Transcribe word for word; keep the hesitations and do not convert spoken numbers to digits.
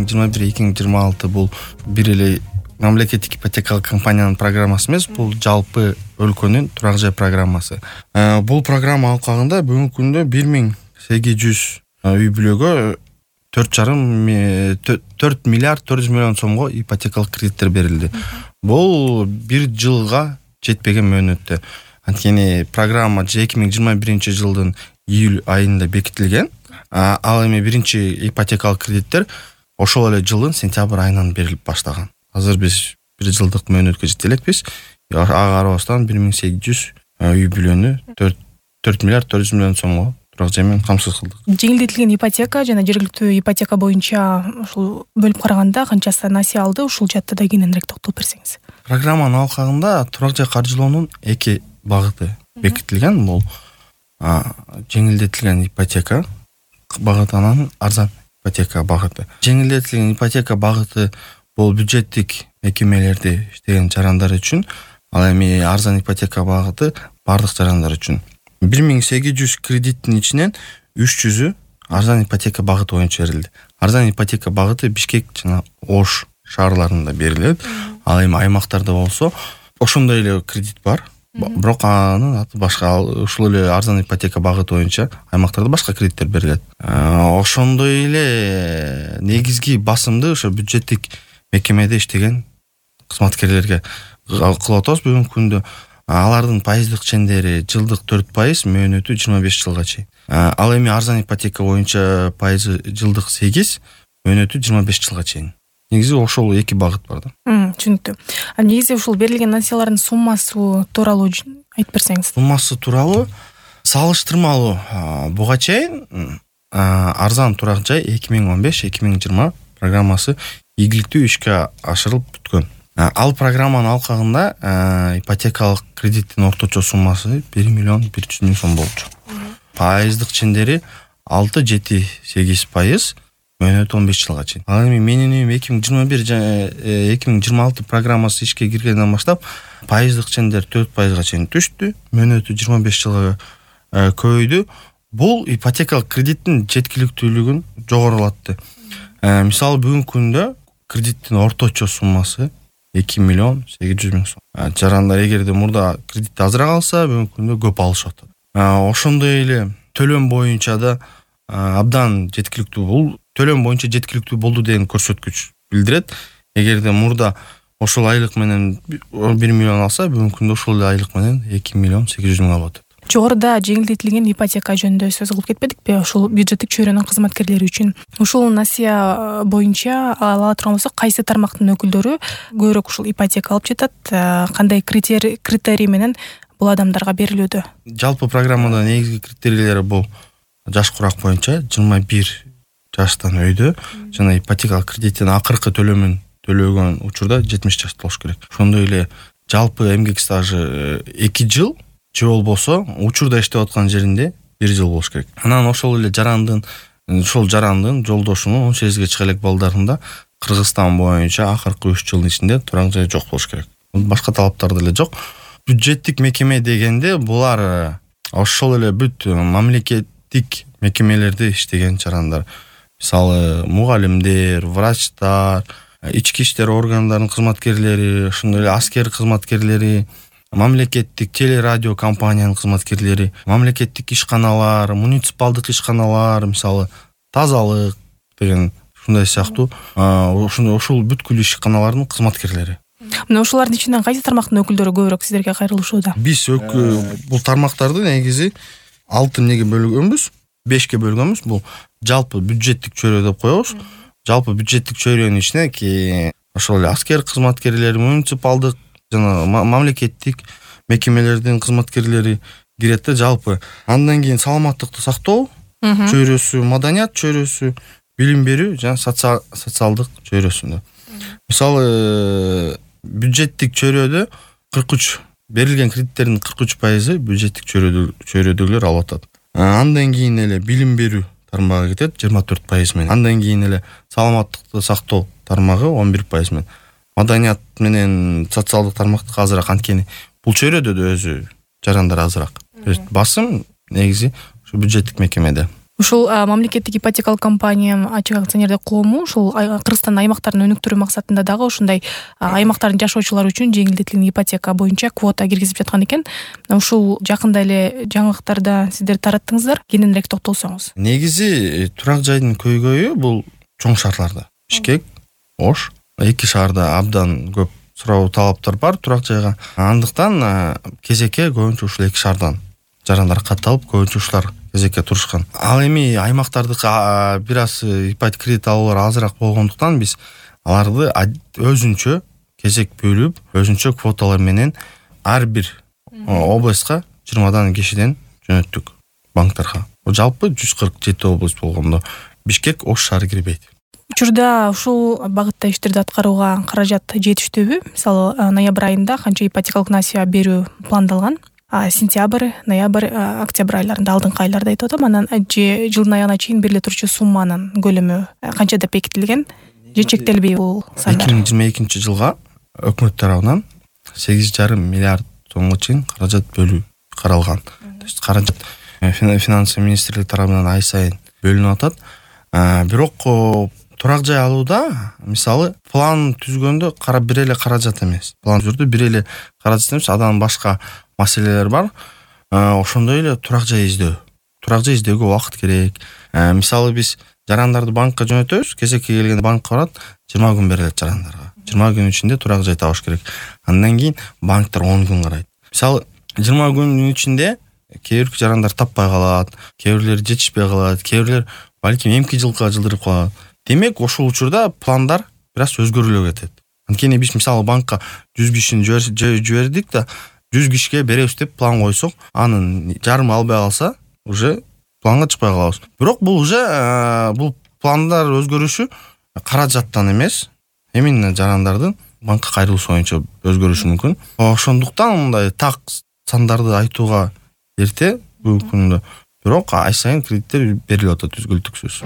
миң жыйырма бир эки миң жыйырма алты бул бир эле мамлекеттик ипотекалык компаниянын программасы эмес, бул жалпы өлкөнүн турак жай программасы. Бул программа алкагында бүгүнкү күндө бир миң сегиз жүз үй бүлөгө төрт жарым төрт миллиард төрт жүз миллион сомго ипотекалык кредиттер берилди. Бул бир жылга жетпеген мөөнөттө. Анткени программа эки миң жыйырма биринчи жылдын июль айында бекитилген. Ал эми биринчи ипотекалык кредиттер ошол эле жылдын сентябрь айынан берилип баштаган. Азыр биз бир жылдык мөөнөткө жете элекпиз. Ага карабастан бир миң сегиз жүз үй бүлөнү төрт миллиард төрт жүз миллион сомго турак жай менен камсыз кылдык. Жеңилдетилген ипотека жана жергиликтүү ипотека боюнча ушул бөлүп караганда канчасы насыя алды, ушул жаатта да кененирээк токтолуп берсеңиз. Программанын алкагында турак жай каржылоонун эки багыты бекитилген. Бул жеңилдетилген ипотека багыты, анан арзан ипотека багыты. Жеңилдетилген ипотека багыты бул бюджеттик мекемелерде иштеген жарандар үчүн, ал эми арзан ипотека багыты бардык жарандар үчүн. бир миң сегиз жүз кредиттин ичинен үч жүзү арзан ипотека багыты боюнча берилди. Арзан ипотека багыты Бишкек жана Ош шаарларында берилет. Ал эми аймактарда болсо ошондой эле кредит бар. Бирок анын аты башка. Ушул эле арзан ипотека багыты боюнча аймактарда башка кредиттер берилет. Ошондой эле негизги басымды ошо бюджеттик мекемеде иштеген кызматкерлерге кылып атабыз бүгүнкү күндө. Алардын пайыздык чендери жылдык төрт пайыз, мөөнөтү жыйырма беш жылга чейин. Ал эми арзан ипотека боюнча пайызы жылдык сегиз, мөөнөтү жыйырма беш жылга чейин. Негизи ошол эки багыт бар да. Түшүнүктүү. А негизи ушул берилген насыялардын суммасы тууралуу айтып берсеңиз. Суммасы тууралуу салыштырмалуу буга чейин арзан турак жай эки миң он беш эки миң жыйырма программасы ийгиликтүү ишке ашырылып бүткөн. Ал программанын алкагында ипотекалык кредиттин орточо суммасы бир миллион бир жүз миң сом болчу. Пайыздык чендери алты жети сегиз пайыз, мөөнөтү он беш жылга чейин. Ал эми менин үйүм эки миң жыйырма бир жана эки миң жыйырма алты программасы ишке киргенден баштап пайыздык чендер төрт пайызга чейин түштү, мөөнөтү жыйырма беш жылга көбөйдү. Бул ипотекалык кредиттин жеткиликтүүлүгүн жогорулатты. Мисалы бүгүнкү күндө кредиттин орточо суммасы эки миллион сегиз жүз миң сом. Жарандар эгерде мурда кредитти азыраак алса, бүгүнкү күндө көп алышып атат. Ошондой эле төлөм боюнча да абдан жеткиликтүү. Бул төлөм боюнча жеткиликтүү болду деген көрсөткүч билдирет. Эгерде мурда ошол айлык менен бир миллион алса, бүгүнкү күндө ошол айлык менен эки миллион сегиз жүз миң алып атат. Жогоруда жеңилдетилген ипотека жөнүндө сөз кылып кетпедикпи? Ушул бюджеттик чөйрөнүн кызматкерлери үчүн ушул насыя боюнча ала турган болсок, кайсы тармактын өкүлдөрү көбүрөөк ушул ипотека алып жатат? Кандай критерий критерий менен бул адамдарга берилүүдө? Жалпы программада негизги критерийлери бул жаш курак боюнча жыйырма бир жаштан өйдө жана ипотекалык кредиттин акыркы төлөмүн төлөгөн учурда жетимиш жашта болуш керек. Ошондой эле жалпы эмгек стажы эки жыл же болбосо учурда иштеп аткан жеринде бир жыл болуш керек. Анан ошол эле жарандын ошол жарандын жолдошунун он сегизге чыга элек балдарында Кыргызстан боюнча акыркы үч жылдын ичинде турак жай жок болуш керек. Башка талаптар деле жок. Бюджеттик мекеме дегенде булар ошол эле бүт мамлекеттик мекемелерде иштеген жарандар. Мисалы мугалимдер, врачтар, ички иштер органдарынын кызматкерлери, ошондой эле аскер кызматкерлери, мамлекеттик телерадио компаниянын кызматкерлери, мамлекеттик ишканалар, муниципалдык ишканалар, мисалы тазалык деген ушундай сыяктуу ошол бүткүл ишканалардын кызматкерлери. Мына ушулардын ичинен кайсы тармактын өкүлдөрү көбүрөөк сиздерге кайрылышууда? Биз бул тармактарды негизи алты эмнеге бөлгөнбүз, бешке бөлгөнбүз. Бул жалпы бюджеттик чөйрө деп коебуз. Жалпы бюджеттик чөйрөнүн ичине ошол эле аскер кызматкерлери, муниципалдык жана мамлекеттик мекемелердин кызматкерлери кирет да жалпы. Андан кийин саламаттыкты сактоо чөйрөсү, маданият чөйрөсү, билим берүү жана социалдык чөйрөсүндө. Мисалы бюджеттик чөйрөдө кырк үч берилген кредиттердин кырк үч пайызы бюджеттик чөйрөдөгүлөр алып атат. Андан кийин эле билим берүү тармагы кетет жыйырма төрт пайыз менен. Андан кийин эле саламаттыкты сактоо тармагы он бир пайыз менен. Маданият менен социалдык тармактык азыраак, анткени бул чөйрөдө да өзү жарандар азыраак. Басым негизи ушу бюджеттик мекемеде. Ушул мамлекеттик ипотекалык компания ачык акционердик коому ушул Кыргызстандын аймактарын өнүктүрүү максатында дагы ушундай аймактардын жашоочулары үчүн жеңилдетилген ипотека боюнча квота киргизип жаткан экен. Ушул жакында эле жаңылыктарда сиздер тараттыңыздар. Кененирээк токтолсоңуз. Негизи турак жайдын көйгөйү бул чоң шаарларда. Бишкек, Ош, эки шаарда абдан көп суроо талаптар бар турак жайга. Андыктан кезекке көбүнчө ушул эки шаардан жарандар катталып, көбүнчө ушулар кезекке турушкан. Ал эми аймактардыкы бир аз ипотека кредит алуулар азыраак болгондуктан биз аларды өзүнчө кезек бөлүп, өзүнчө квоталар менен ар бир областка жыйырмадан кишиден жөнөттүк банктарга. Жалпы жүз кырк жети область болгондо Бишкек, Ош шаары кирбейт. Учурда ушул багытта иштерди аткарууга каражат жетиштүүбү? Мисалы, ноябрь айында канча ипотекалык насыя берүү пландалган? Сентябрь, ноябрь, октябрь айларында, алдыңкы айларда айтып атам. Анан жылдын аягына чейин бериле турчу сумманын көлөмү канча деп бекитилген? Же чектелбей бул сандар? эки миң жыйырма экинчи жылга өкмөт тарабынан сегиз жарым миллиард сомго чейин каражат бөлүү каралган. То есть каражат финансы министрлиги тарабынан ай сайын бөлүнүп атат. Бирок турак жай алууда мисалы план түзгөндө кара бир эле каражат эмес. План түзүрдө бир эле каражат эмес, адан башка маселелер бар. Ошондой эле турак жай издөө. Турак жай издөөгө убакыт керек. Мисалы биз жарандарды банкка жөнөтөбүз, кезекке келгенде банкка барат, жыйырма күн берилет жарандарга. жыйырма күн ичинде турак жай табыш керек. Андан кийин банктар он күн карайт. Мисалы жыйырма күнүн ичинде кээ бир жарандар таппай калат, кээ бирлери жетишпей калат, кээ бирлер балким эмки жылга жылдырып калат. Демек, ошол учурда пландар бир аз өзгөрүлө кетет. Анткени биз мисалы банкка жүз кишини жибердик да, жүз кишиге беребиз деп план койсок, анын жарымы албай калса, уже планга чыкпай калабыз. Бирок бул уже бул пландар өзгөрүшү каражаттан эмес, именно жарандардын банкка кайрылышы боюнча өзгөрүшү мүмкүн. Ошондуктан мындай так сандарды айтууга эрте бүгүнкү күндө. Бирок ай сайын кредиттер берилип атат, түзгүлтүксүз.